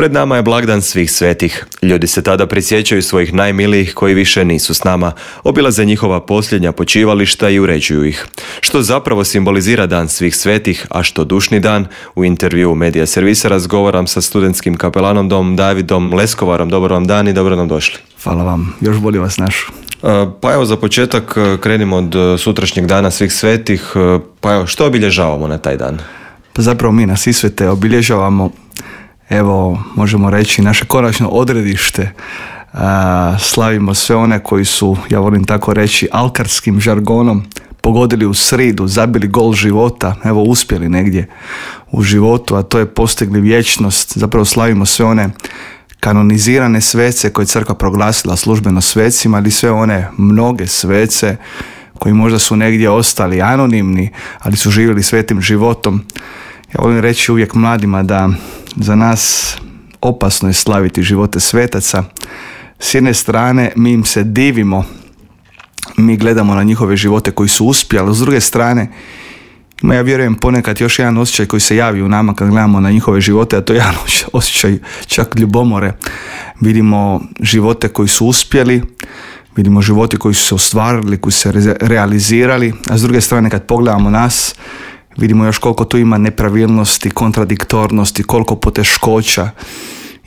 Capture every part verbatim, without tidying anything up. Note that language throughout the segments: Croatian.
Pred nama je blagdan svih svetih. Ljudi se tada prisjećaju svojih najmilijih koji više nisu s nama, obilaze njihova posljednja počivališta i uređuju ih. Što zapravo simbolizira dan svih svetih, a što dušni dan? U intervju Medija servisa razgovaram sa studentskim kapelanom dom Davidom Leskovarom. Dobar vam dan i dobro nam došli. Hvala vam, još bolje vas našu. Pa evo, za početak krenimo od sutrašnjeg dana svih svetih. Pa evo, što obilježavamo na taj dan? Pa zapravo mi na Svi svete obilježavamo, evo, možemo reći, naše konačno odredište. A, slavimo sve one koji su, ja volim tako reći, alkarskim žargonom pogodili u sridu, zabili gol života, evo, uspjeli negdje u životu, a to je postigli vječnost. Zapravo slavimo sve one kanonizirane svece koje je crkva proglasila službeno svecima, ali sve one mnoge svece koji možda su negdje ostali anonimni, ali su živjeli svetim životom. Ja volim reći uvijek mladima da za nas opasno je slaviti živote svetaca. S jedne strane mi im se divimo, mi gledamo na njihove živote koji su uspjeli, ali s druge strane ima, ja vjerujem, ponekad još jedan osjećaj koji se javi u nama kad gledamo na njihove živote, a to je jedan osjećaj čak ljubomore. Vidimo živote koji su uspjeli, vidimo živote koji su se ostvarili, koji su se re- realizirali, a s druge strane kad pogledamo nas, vidimo još koliko tu ima nepravilnosti, kontradiktornosti, koliko poteškoća.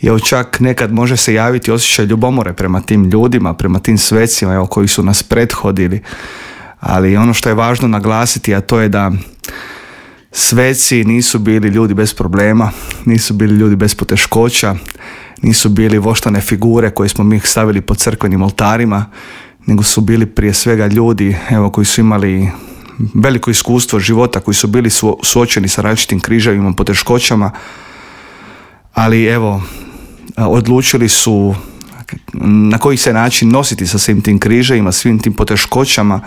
I evo, čak nekad može se javiti osjećaj ljubomore prema tim ljudima, prema tim svecima, evo, koji su nas prethodili. Ali ono što je važno naglasiti, a to je da sveci nisu bili ljudi bez problema, nisu bili ljudi bez poteškoća, nisu bili voštane figure koje smo mi stavili po crkvenim oltarima, nego su bili prije svega ljudi, evo, koji su imali veliko iskustvo života, koji su bili suočeni sa različitim križevima, poteškoćama, ali evo, odlučili su na koji se način nositi sa svim tim križevima, svim tim poteškoćama,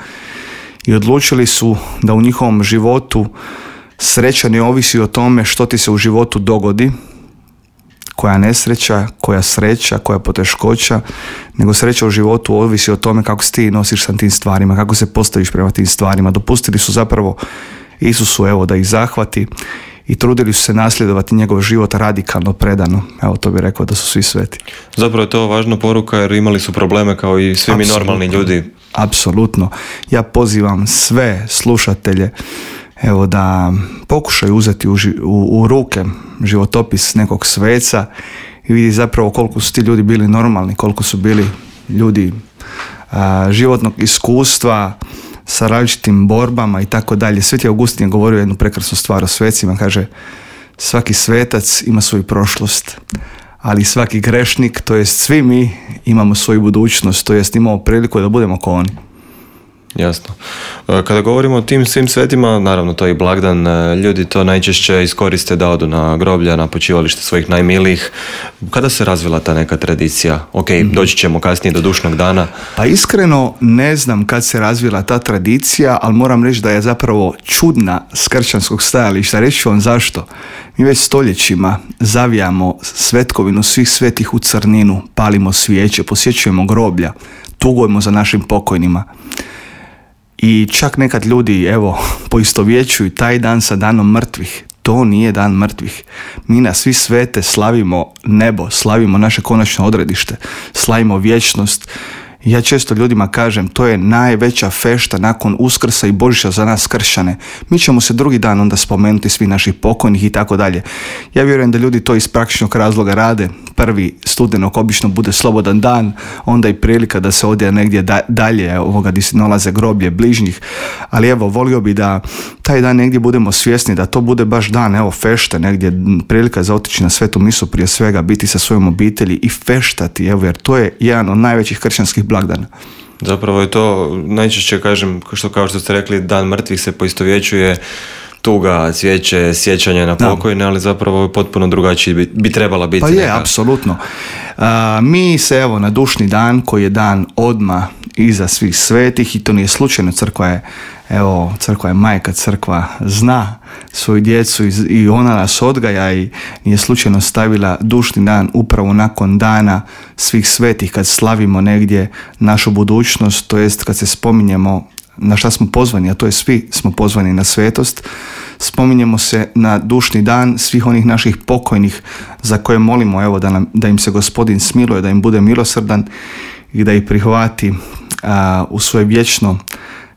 i odlučili su da u njihovom životu sreća ne ovisi o tome što ti se u životu dogodi, koja nesreća, koja sreća, koja poteškoća, nego sreća u životu ovisi o tome kako se ti nosiš sa tim stvarima, kako se postaviš prema tim stvarima. Dopustili su zapravo Isusu, evo, da ih zahvati i trudili su se nasljedovati njegov život radikalno, predano. Evo, to bih rekao da su svi sveti. Zapravo je to važna poruka jer imali su probleme kao i svi mi normalni ljudi. Apsolutno. Ja pozivam sve slušatelje, evo, da pokušaju uzeti u, u, u ruke životopis nekog sveca i vidi zapravo koliko su ti ljudi bili normalni, koliko su bili ljudi a, životnog iskustva sa različitim borbama i tako dalje. Sveti Augustin je govorio jednu prekrasnu stvar o svecima, kaže: svaki svetac ima svoju prošlost, ali svaki grešnik, to jest svi mi, imamo svoju budućnost, to jest imamo priliku da budemo kao oni. Jasno. Kada govorimo o tim svim svetima, naravno to je i blagdan, ljudi to najčešće iskoriste da odu na groblja, na počivalište svojih najmilijih. Kada se razvila ta neka tradicija? Ok, mm-hmm. doći ćemo kasnije do dušnog dana. Pa iskreno ne znam kad se razvila ta tradicija, ali moram reći da je zapravo čudna s kršćanskog stajališta. Reći ću vam zašto. Mi već stoljećima zavijamo svetkovinu svih svetih u crninu, palimo svijeće, posjećujemo groblja, tugujemo za našim pokojnima. I čak nekad ljudi, evo, poistovjećuju taj dan sa danom mrtvih. To nije dan mrtvih. Mi na Svi svete slavimo nebo, slavimo naše konačno odredište, slavimo vječnost. Ja često ljudima kažem, to je najveća fešta nakon Uskrsa i Božića za nas kršćane. Mi ćemo se drugi dan onda spomenuti svi naših pokojnih i tako dalje. Ja vjerujem da ljudi to iz praktičnog razloga rade. Prvi studenog obično bude slobodan dan, onda i prilika da se ode negdje da, dalje ovoga gdje se nalaze groblje bližnjih. Ali evo, volio bi da taj dan negdje budemo svjesni da to bude baš dan, evo, fešte, negdje prilika za otići na svetu misu, prije svega biti sa svojom obitelji i feštati, evo, jer to je jedan od najvećih kršćanskih blagdana. Zapravo je to, najčešće kažem, što kao što ste rekli, dan mrtvih se poistovjećuje tuga, cvijeće, sjećanje na pokojne, ali zapravo je potpuno drugačiji bi, bi trebala biti. Pa je, neka. apsolutno. Uh, mi se, evo, na dušni dan, koji je dan odmah iza svih svetih, i to nije slučajno, crkva je, evo, crkva je majka, crkva zna svoju djecu i, i ona nas odgaja, i nije slučajno stavila dušni dan upravo nakon dana svih svetih, kad slavimo negdje našu budućnost, to jest kad se spominjemo na šta smo pozvani, a to je svi smo pozvani na svetost. spominjemo se na dušni dan svih onih naših pokojnih za koje molimo, evo, da, nam, da im se Gospodin smiluje, da im bude milosrdan i da ih prihvati a, u svoje vječno,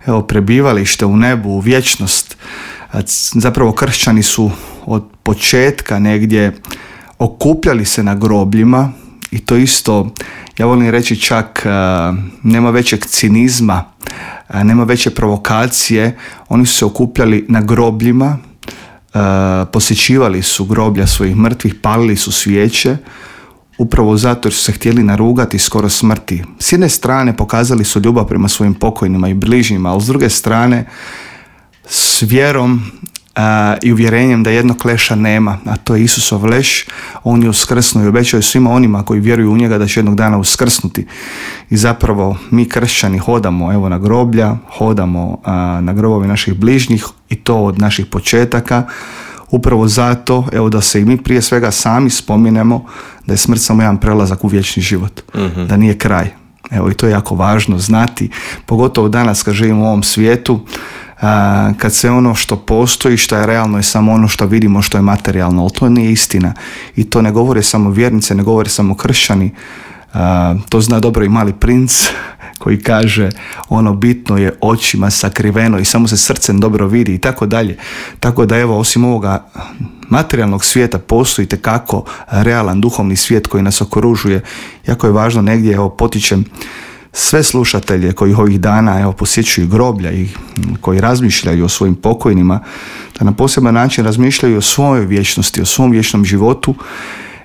evo, prebivalište u nebu, u vječnost. A, zapravo kršćani su od početka negdje okupljali se na grobljima i to isto, ja volim reći čak, a, nema većeg cinizma, a, nema veće provokacije. Oni su se okupljali na grobljima, a, posjećivali su groblja svojih mrtvih, palili su svijeće, upravo zato jer su se htjeli narugati skoro smrti. S jedne strane pokazali su ljubav prema svojim pokojnima i bližnjima, ali s druge strane s vjerom a, i uvjerenjem da jednog leša nema, a to je Isusov leš. On je uskrsnuo i obećao svima onima koji vjeruju u njega da će jednog dana uskrsnuti. I zapravo mi kršćani hodamo, evo, na groblja, hodamo a, na grobove naših bližnjih i to od naših početaka. Upravo zato, evo, da se i mi prije svega sami spominemo da je smrt samo jedan prelazak u vječni život, mm-hmm. da nije kraj. Evo, i to je jako važno znati, pogotovo danas kad živimo u ovom svijetu, a, kad sve ono što postoji, što je realno, je samo ono što vidimo, što je materijalno, ali to nije istina. I to ne govore samo vjernice, ne govore samo kršćani, a, to zna dobro i Mali princ, koji kaže ono bitno je očima sakriveno i samo se srcem dobro vidi i tako dalje. Tako da, evo, osim ovoga materijalnog svijeta postoji itekako realan duhovni svijet koji nas okružuje. Jako je važno negdje, evo, potičem sve slušatelje koji ovih dana, evo, posjećuju groblja i koji razmišljaju o svojim pokojnima, da na poseban način razmišljaju o svojoj vječnosti, o svom vječnom životu.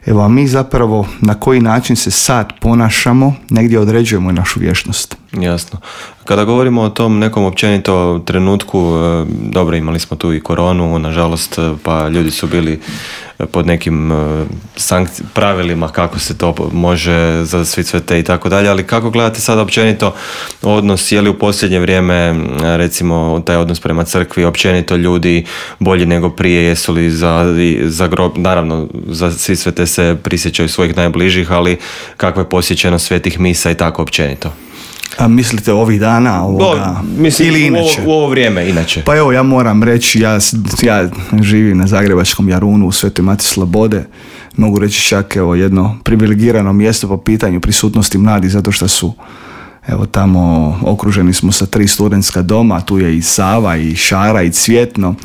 Evo, a mi zapravo na koji način se sad ponašamo, negdje određujemo i našu vječnost. Jasno. Kada govorimo o tom nekom općenito trenutku, dobro, imali smo tu i koronu, nažalost, pa ljudi su bili pod nekim sankci- pravilima kako se to može za svi svete i tako dalje, ali kako gledate sad općenito odnos, je li u posljednje vrijeme, recimo, taj odnos prema crkvi, općenito ljudi bolji nego prije, jesu li za, za grob, naravno za svi svete se prisjećaju svojih najbližih, ali kakva je posjećenost svetih misa i tako općenito? A mislite ovih dana ovoga, no, mislim, ili inače? U ovo, u ovo vrijeme, inače. Pa evo, ja moram reći, ja, ja živim na Zagrebačkom Jarunu u Svetoj Mati Slobode. Mogu reći čak, evo, jedno privilegirano mjesto po pitanju prisutnosti mladih, zato što su, evo, tamo okruženi smo sa tri studentska doma, tu je i Sava, i Šara, i Cvjetno.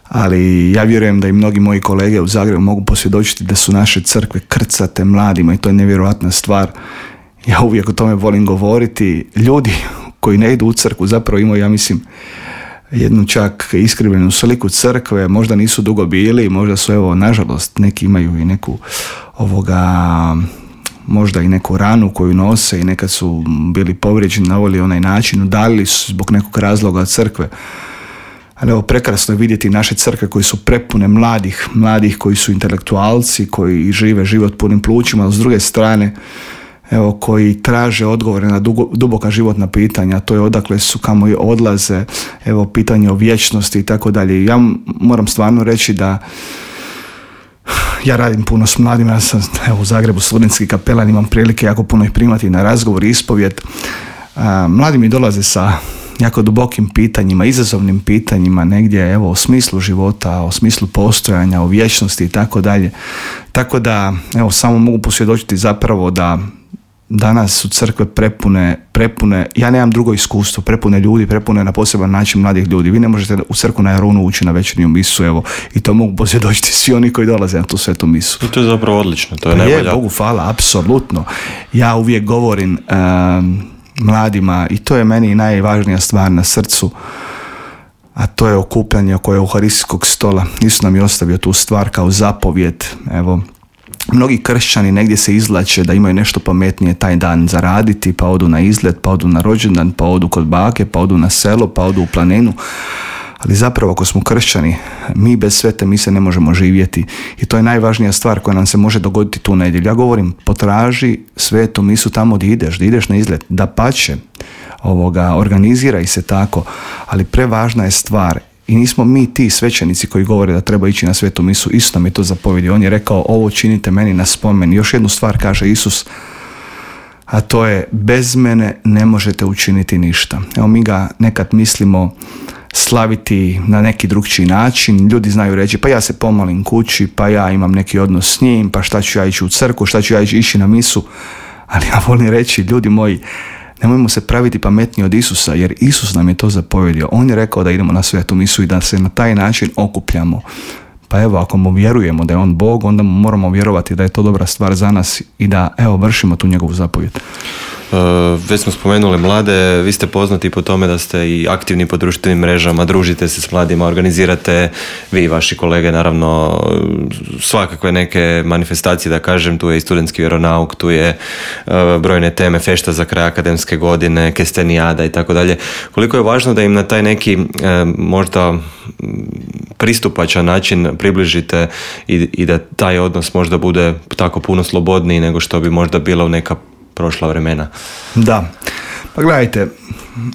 Ali ja vjerujem da i mnogi moji kolege u Zagrebu mogu posvjedočiti da su naše crkve krcate mladima i to je nevjerojatna stvar. Ja uvijek o tome volim govoriti. Ljudi koji ne idu u crkvu zapravo imaju, ja mislim, jednu čak iskrivljenu sliku crkve, možda nisu dugo bili, možda su, evo, nažalost, neki imaju i neku ovoga, možda i neku ranu koju nose i nekad su bili povrijeđeni na ovaj onaj način, udalili su zbog nekog razloga od crkve. Ali evo, prekrasno je vidjeti naše crkve koji su prepune mladih, mladih koji su intelektualci, koji žive život punim plućima, ali s druge strane, evo, koji traže odgovore na dugo, duboka životna pitanja, to je odakle su, kamo odlaze, evo, pitanje o vječnosti i tako dalje. Ja moram stvarno reći da ja radim puno s mladima, ja sam, evo, u Zagrebu studentski kapelan, imam prilike jako puno ih primati na razgovor i ispovjed. A, mladi mi dolaze sa jako dubokim pitanjima, izazovnim pitanjima, negdje, evo, o smislu života, o smislu postojanja, o vječnosti i tako dalje. Tako da, evo, samo mogu posvjedočiti zapravo da danas su crkve prepune, prepune, ja nemam drugo iskustvo, prepune ljudi, prepune na poseban način mladih ljudi. Vi ne možete u crkvu na Jarunu ući na večernju misu, evo, i to mogu posvjedočiti svi oni koji dolaze na tu svetu misu. I to je zapravo odlično, to je pa najbolja. Je, Bogu hvala, apsolutno. Ja uvijek govorim um, mladima, i to je meni najvažnija stvar na srcu, a to je okupljanje oko euharistijskog stola. Isus nam je ostavio tu stvar kao zapovjed, evo. Mnogi kršćani negdje se izvlače da imaju nešto pametnije taj dan zaraditi, pa odu na izlet, pa odu na rođendan, pa odu kod bake, pa odu na selo, pa odu u planinu. Ali zapravo, ako smo kršćani, mi bez svete mise ne možemo živjeti. I to je najvažnija stvar koja nam se može dogoditi tu nedjelju. Ja govorim, potraži svetu misu tamo gdje ideš, da ideš na izlet, da pače, ovoga, organiziraj se tako, ali prevažna je stvar. I nismo mi ti svećenici koji govore da treba ići na svetu misu. Isus nam je to zapovjedio. On je rekao, ovo činite meni na spomen. Još jednu stvar kaže Isus, a to je, bez mene ne možete učiniti ništa. Evo, mi ga nekad mislimo slaviti na neki drugčiji način. Ljudi znaju reći, pa ja se pomolim kući, pa ja imam neki odnos s njim, pa šta ću ja ići u crkvu, šta ću ja ići na misu. Ali ja volim reći, ljudi moji, nemojmo se praviti pametniji od Isusa, jer Isus nam je to zapovjedio. On je rekao da idemo na svetu misu i da se na taj način okupljamo. Pa evo, ako mu vjerujemo da je on Bog, onda mu moramo vjerovati da je to dobra stvar za nas i da, evo, vršimo tu njegovu zapovjed. Uh, već smo spomenuli mlade, vi ste poznati po tome da ste i aktivni po društvenim mrežama, družite se s mladima, organizirate, vi i vaši kolege naravno svakakve neke manifestacije, da kažem, tu je i studentski vjeronauk, tu je uh, brojne teme, fešta za kraj akademske godine, kestenijada i tako dalje. Koliko je važno da im na taj neki uh, možda pristupačan način približite i, i da taj odnos možda bude tako puno slobodniji nego što bi možda bila u neka prošla vremena. Da, pa gledajte,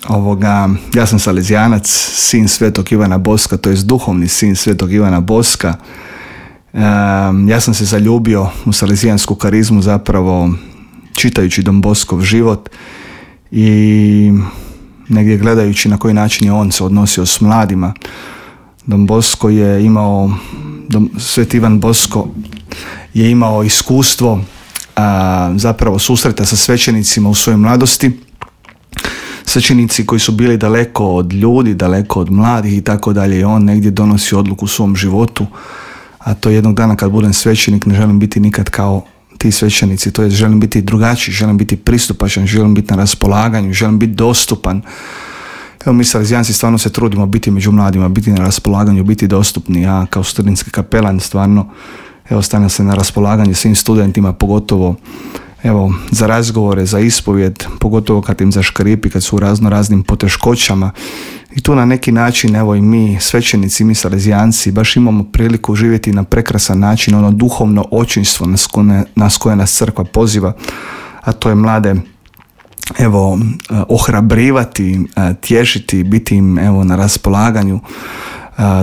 ovoga, ja sam salezijanac, sin Svetog Ivana Boska, to jest duhovni sin Svetog Ivana Boska. Um, ja sam se zaljubio u salezijansku karizmu zapravo čitajući Don Boskov život i negdje gledajući na koji način je on se odnosio s mladima. Don Bosko je imao, Don, Sveti Ivan Bosko je imao iskustvo a, zapravo susreta sa svećenicima u svojoj mladosti. Svećenici koji su bili daleko od ljudi, daleko od mladih i tako dalje. I on negdje donosi odluku u svom životu, a to jednog dana kad budem svećenik ne želim biti nikad kao ti svećenici, to je želim biti drugačiji, želim biti pristupačan, želim biti na raspolaganju, želim biti dostupan. Evo, mi salezijanci stvarno se trudimo biti među mladima, biti na raspolaganju, biti dostupni. Ja kao studentski kapelan stvarno evo stavljam se na raspolaganje svim studentima, pogotovo evo za razgovore, za ispovjed, pogotovo kad im zaškripi, kad su u razno raznim poteškoćama. I tu na neki način evo i mi svećenici, mi salezijanci baš imamo priliku živjeti na prekrasan način, ono duhovno očinstvo nas koje, nas koje nas crkva poziva, a to je mlade evo ohrabrivati, tješiti, biti im evo na raspolaganju,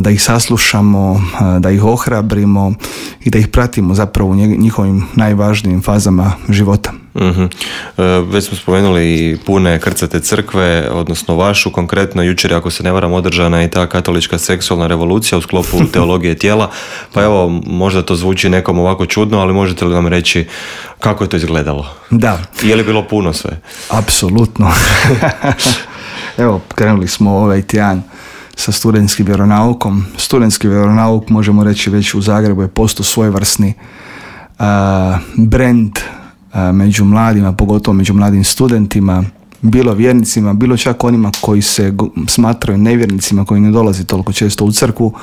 da ih saslušamo, da ih ohrabrimo i da ih pratimo zapravo u njihovim najvažnijim fazama života. Mm-hmm. Već smo spomenuli i pune krcate crkve, odnosno vašu konkretno. Jučer, ako se ne varam, održana i ta katolička seksualna revolucija u sklopu teologije tijela. Pa evo, možda to zvuči nekom ovako čudno, ali možete li nam reći kako je to izgledalo? Da. Je li bilo puno sve? Apsolutno. Evo, krenuli smo ovaj tjedan sa studentskim vjeronaukom. Studentski vjeronauk, možemo reći, već u Zagrebu je postao svojevrsni uh, brand uh, među mladima, pogotovo među mladim studentima, bilo vjernicima, bilo čak onima koji se go- smatraju nevjernicima, koji ne dolazi toliko često u crkvu.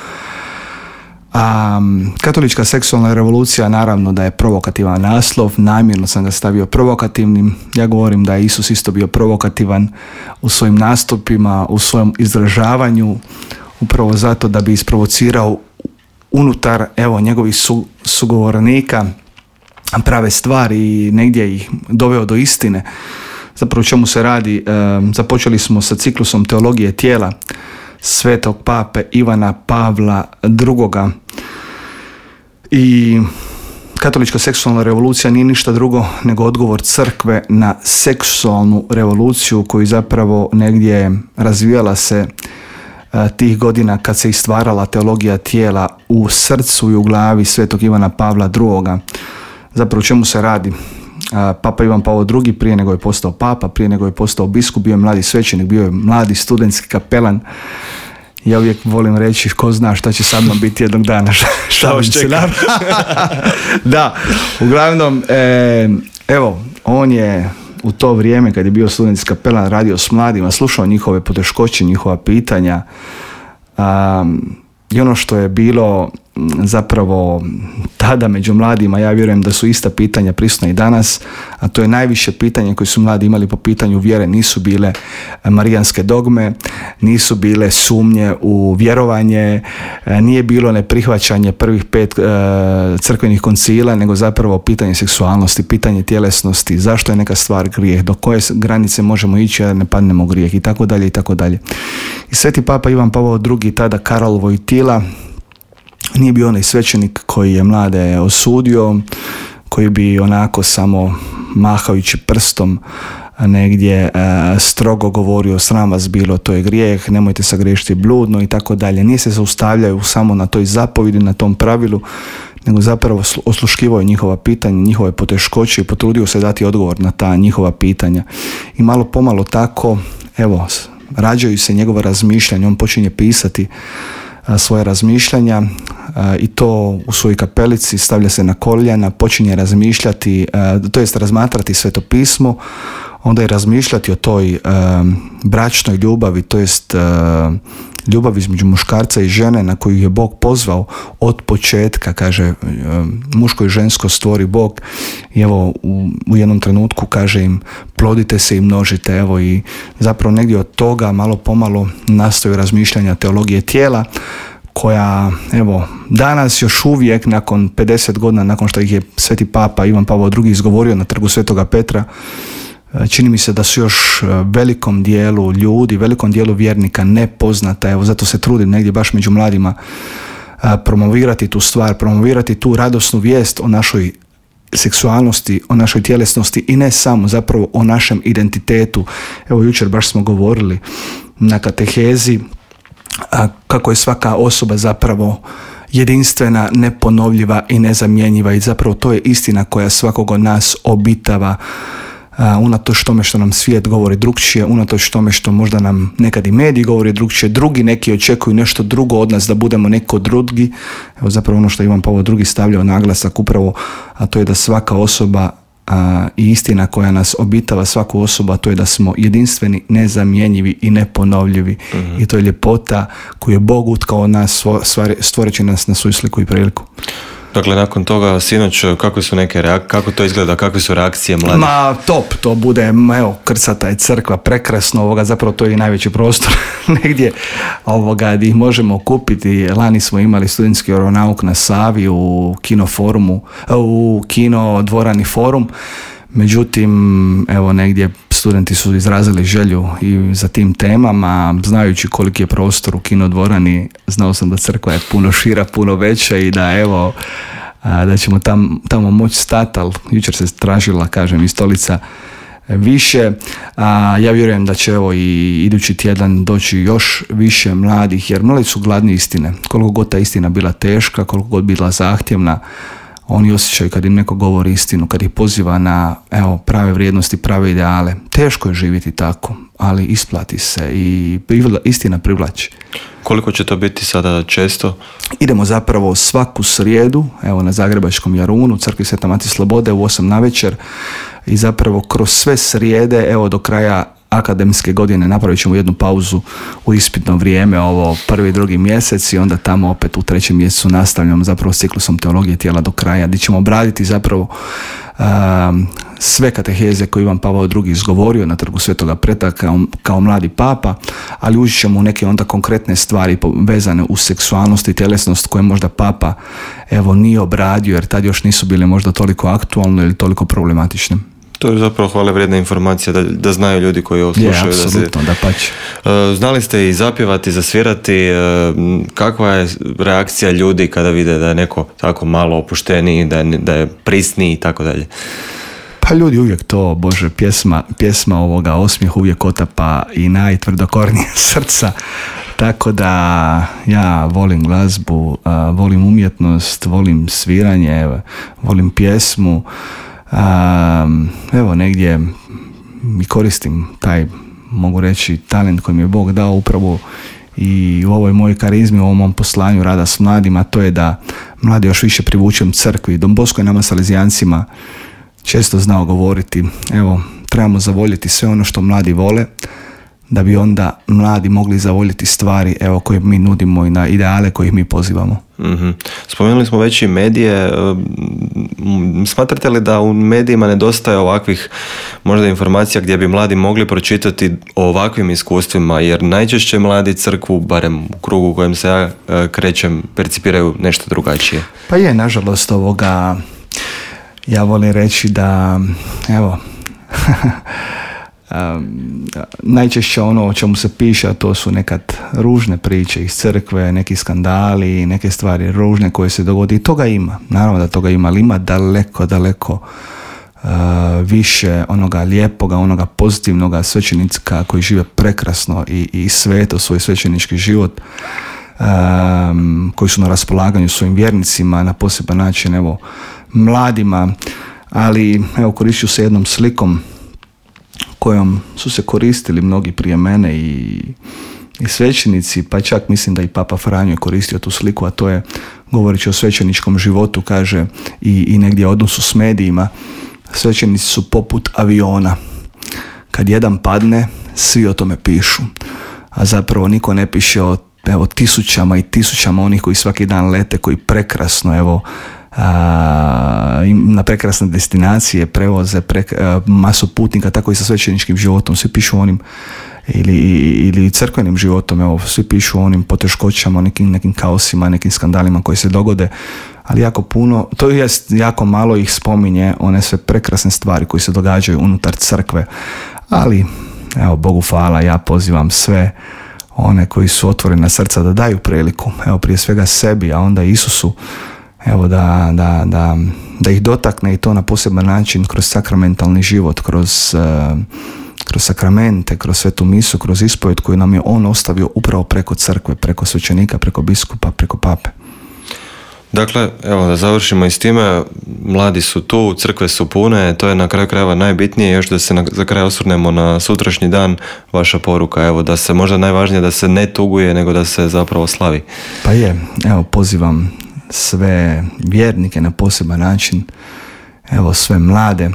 Um, katolička seksualna revolucija, naravno da je provokativan naslov, namjerno sam ga stavio provokativnim. Ja govorim da je Isus isto bio provokativan u svojim nastupima, u svojem izražavanju, upravo zato da bi isprovocirao unutar evo njegovih su, sugovornika prave stvari i negdje ih doveo do istine. Zapravo o čemu se radi? Um, započeli smo sa ciklusom teologije tijela Svetog pape Ivana Pavla drugoga. I katolička seksualna revolucija nije ništa drugo nego odgovor crkve na seksualnu revoluciju koju zapravo negdje razvijala se a, tih godina kad se istvarala teologija tijela u srcu i u glavi Svetog Ivana Pavla drugoga. Zapravo o čemu se radi? A, Papa Ivan Pavao drugi, prije nego je postao papa, prije nego je postao biskup, bio je mladi svećenik, bio je mladi studentski kapelan. Ja uvijek volim reći, ko zna šta će sa mnom biti jednog dana. Šta se nam... Da, uglavnom, e, evo, on je u to vrijeme kad je bio studentski kapelan radio s mladima, slušao njihove poteškoće, njihova pitanja. Um, I ono što je bilo zapravo tada među mladima, ja vjerujem da su ista pitanja prisutna i danas, a to je najviše pitanje koje su mladi imali po pitanju vjere, nisu bile marijanske dogme, nisu bile sumnje u vjerovanje, nije bilo neprihvaćanje prvih pet e, crkvenih koncila, nego zapravo pitanje seksualnosti, pitanje tjelesnosti, zašto je neka stvar grijeh, do koje granice možemo ići da ne padnemo u grijeh i tako dalje i tako dalje. I Sveti Papa Ivan Pavao drugi, tada Karol Wojtyla, nije bio onaj svećenik koji je mlade osudio, koji bi onako samo mahajući prstom negdje strogo govorio sram vas bilo, to je grijeh, nemojte sagriješiti bludno i tako dalje. Nije se zaustavljaju samo na toj zapovjedi, na tom pravilu, nego zapravo osluškivao je njihova pitanja, njihove poteškoće i potrudio se dati odgovor na ta njihova pitanja. I malo pomalo tako, evo, rađaju se njegova razmišljanja, on počinje pisati a, svoje razmišljanja a, i to u svojoj kapelici, stavlja se na koljena, počinje razmišljati, a, to jest razmatrati Sveto pismo, onda je razmišljati o toj a, bračnoj ljubavi, to jest a, ljubav između muškarca i žene na koju je Bog pozvao od početka, kaže muško i žensko stvori Bog i evo u, u jednom trenutku kaže im plodite se i množite, evo i zapravo negdje od toga malo pomalo nastaju razmišljanja teologije tijela koja evo danas još uvijek nakon pedeset godina nakon što ih je Sveti Papa Ivan Pavao drugi izgovorio na trgu Svetoga Petra, čini mi se da su još velikom dijelu ljudi, velikom dijelu vjernika nepoznata. Evo, zato se trudim negdje baš među mladima promovirati tu stvar, promovirati tu radosnu vijest o našoj seksualnosti, o našoj tjelesnosti i ne samo, zapravo o našem identitetu. Evo, jučer baš smo govorili na katehezi a, kako je svaka osoba zapravo jedinstvena, neponovljiva i nezamjenjiva i zapravo to je istina koja svakog od nas obitava. Uh, unatoč tome što nam svijet govori drugčije, unatoč tome što možda nam nekad i mediji govori drugčije, drugi neki očekuju nešto drugo od nas da budemo neko drugi. Evo zapravo ono što Ivan Pavao drugi stavljao naglasak upravo, a to je da svaka osoba a, i istina koja nas obitava svaku osobu, a to je da smo jedinstveni, nezamjenjivi i neponovljivi. Mm-hmm. I to je ljepota koju je Bog utkao od nas, stvoreći nas na svoju sliku i priliku. Dakle, nakon toga, sinoć, kako su neke reak- kako to izgleda, kakve su reakcije mladih? Ma, top, to bude, evo, krcata je crkva, prekrasno, ovoga, zapravo to je i najveći prostor negdje ovoga, gdje ih možemo kupiti. Lani smo imali studentski vjeronauk na Savi u kino forumu, u kino dvorani forum, međutim, evo, negdje studenti su izrazili želju i za tim temama, znajući koliki je prostor u kinodvorani, znao sam da crkva je puno šira, puno veća i da evo, da ćemo tam, tamo moći stati, ali jučer se tražila, kažem, i stolica više. A, ja vjerujem da će evo i idući tjedan doći još više mladih, jer mladi su gladni istine. Koliko god ta istina bila teška, koliko god bila zahtjevna, oni osjećaju kad im neko govori istinu, kad ih poziva na evo, prave vrijednosti, prave ideale. Teško je živjeti tako, ali isplati se i istina privlači. Koliko će to biti sada često? Idemo zapravo svaku srijedu, evo na Zagrebačkom Jarunu, u crkvi Sveta Mati Slobode u osam navečer i zapravo kroz sve srijede, evo do kraja akademske godine napravit ćemo jednu pauzu u ispitno vrijeme, ovo prvi, drugi mjesec i onda tamo opet u trećem mjesecu nastavljamo zapravo s ciklusom teologije tijela do kraja, gdje ćemo obraditi zapravo um, sve kateheze koje Ivan Pavao drugi izgovorio na trgu Svetoga Petra kao, kao mladi papa, ali ući ćemo u neke onda konkretne stvari vezane uz seksualnost i tjelesnost koje možda papa evo nije obradio jer tad još nisu bile možda toliko aktualne ili toliko problematične. To je zapravo hvale vrijedna informacija da, da znaju ljudi koji ovo slušaju. Je, apsolutno, da, se... da pače. Uh, znali ste i zapjevati, zasvirati. Uh, kakva je reakcija ljudi kada vide da je neko tako malo opušteniji, da je, da je prisniji i tako dalje? Pa ljudi uvijek to, Bože, pjesma, pjesma ovoga osmijeh uvijek otapa i najtvrdokornije srca. Tako da ja volim glazbu, uh, volim umjetnost, volim sviranje, volim pjesmu. Um, evo negdje i koristim taj, mogu reći, talent koji mi je Bog dao upravo i u ovoj mojoj karizmi, u ovom mom poslanju rada s mladima, to je da mladi još više privučem crkvi. Don Bosco je nama Salezijancima često znao govoriti, evo, trebamo zavoljeti sve ono što mladi vole, da bi onda mladi mogli zavoljeti stvari evo koje mi nudimo i na ideale kojih mi pozivamo. Mm-hmm. Spomenuli smo već i medije. Smatrate li da u medijima nedostaje ovakvih možda informacija gdje bi mladi mogli pročitati o ovakvim iskustvima, jer najčešće mladi crkvu, barem u krugu u kojem se ja krećem, percipiraju nešto drugačije? Pa je, nažalost, ovoga ja volim reći da evo Um, najčešće ono o čemu se piše, a to su nekad ružne priče iz crkve, neki skandali, neke stvari ružne koje se dogodi i toga ima, naravno da toga ima, ali ima daleko, daleko uh, više onoga lijepoga, onoga pozitivnoga svećenika koji žive prekrasno i, i sveto svoj svećenički život, um, koji su na raspolaganju svojim vjernicima na poseban način, evo, mladima, ali evo, koristit se jednom slikom kojom su se koristili mnogi prije mene i, i svećenici, pa čak mislim da i Papa Franjo je koristio tu sliku, a to je, govoreći o svećeničkom životu, kaže, i, i negdje odnosu s medijima, svećenici su poput aviona. Kad jedan padne, svi o tome pišu. A zapravo niko ne piše o, evo, tisućama i tisućama onih koji svaki dan lete, koji prekrasno, evo, a, na prekrasne destinacije prevoze prek, a, masu putnika, tako i sa svećeničkim životom. Svi pišu o onim, ili, ili crkvenim životom, evo, svi pišu o onim poteškoćama, o nekim, nekim kaosima, nekim skandalima koji se dogode, ali jako puno, to jest jako malo ih spominje one sve prekrasne stvari koji se događaju unutar crkve, ali evo, Bogu hvala, ja pozivam sve one koji su otvorena srca da daju priliku, evo, prije svega sebi, a onda Isusu, evo, da, da, da, da ih dotakne, i to na poseban način, kroz sakramentalni život, kroz uh, kroz sakramente, kroz svetu misu, kroz ispovjed koju nam je on ostavio upravo preko crkve, preko svećenika, preko biskupa, preko pape. Dakle, evo, da završimo i s time, mladi su tu, crkve su pune, to je na kraju krajeva najbitnije. Još da se na, za kraj osvrnemo na sutrašnji dan, vaša poruka, evo, da se možda najvažnije da se ne tuguje, nego da se zapravo slavi. Pa je, evo, pozivam sve vjernike na poseban način, evo, sve mlade,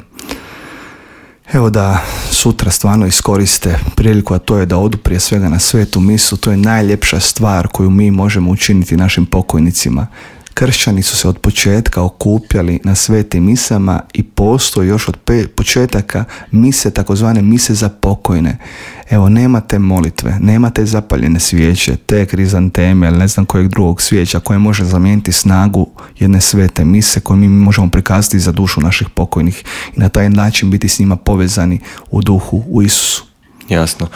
evo, da sutra stvarno iskoriste priliku, a to je da odu prije svega na svetu misu. To je najljepša stvar koju mi možemo učiniti našim pokojnicima. Kršćani su se od početka okupljali na svetim misama i postoji još od pe- početaka mise, takozvane mise za pokojne. Evo, nema te molitve, nema te zapaljene svijeće, te krizanteme ili ne znam kojeg drugog svijeća koje može zamijeniti snagu jedne svete mise koju mi možemo prikazati za dušu naših pokojnih i na taj način biti s njima povezani u duhu, u Isusu. Jasno.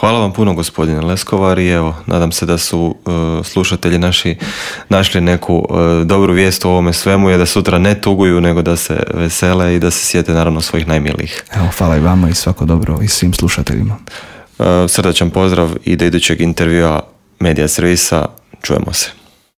Hvala vam puno, gospodine Leskovar, i evo, nadam se da su uh, slušatelji naši našli neku uh, dobru vijest u ovome svemu, je da sutra ne tuguju, nego da se vesele i da se sjete naravno svojih najmilijih. Evo, hvala i vama i svako dobro i svim slušateljima. Uh, srdačan pozdrav i do idućeg intervjua Medija servisa. Čujemo se.